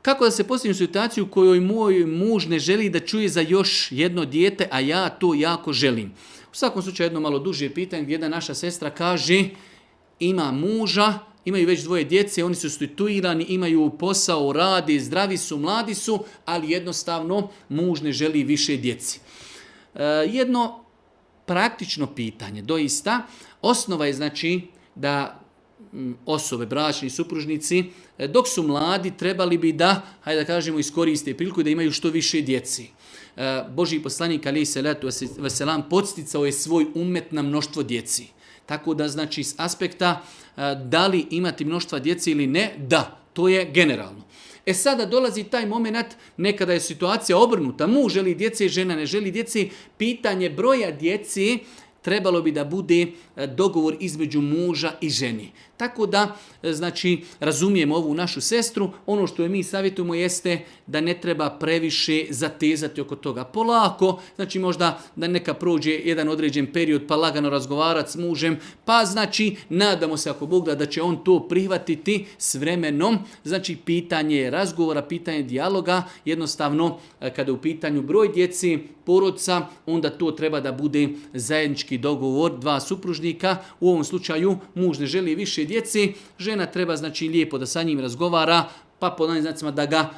kako da se postavim u situaciju u kojoj moj muž ne želi da čuje za još jedno dijete, a ja to jako želim? U svakom slučaju jedno malo duže pitanje gdje jedna naša sestra kaže ima muža, imaju već 2 djece, oni su situirani, imaju posao, rade, zdravi su, mladi su, ali jednostavno muž ne želi više djeci. Jedno praktično pitanje, doista, osnova je znači da osobe, bračni supružnici, dok su mladi trebali bi da, hajde da kažemo, iskoriste priliku da imaju što više djeci. Božji poslanik alejhi selatu vesselam podsticao je svoj ummet na mnoštvo djeci. Tako da znači s aspekta da li imati mnoštva djece ili ne, da, to je generalno. Sada dolazi taj moment, nekada je situacija obrnuta, muž želi djece, žena ne želi djece, pitanje broja djece trebalo bi da bude dogovor između muža i ženi. Tako da, znači, razumijemo ovu našu sestru, ono što je mi savjetujemo jeste da ne treba previše zatezati oko toga. Polako, znači možda da neka prođe jedan određen period pa lagano razgovarati s mužem, pa znači nadamo se ako Bog da će on to prihvatiti s vremenom. Znači pitanje razgovora, pitanje dijaloga, jednostavno kada je u pitanju broj djeci, porodca, onda to treba da bude zajednički dogovor 2 supružnika. U ovom slučaju muž ne želi više djeci, žena treba znači lijepo da sa njim razgovara, pa po ovim znacima da ga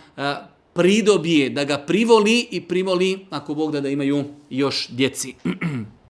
pridobije, da ga privoli i primoli ako Bog da imaju još djeci.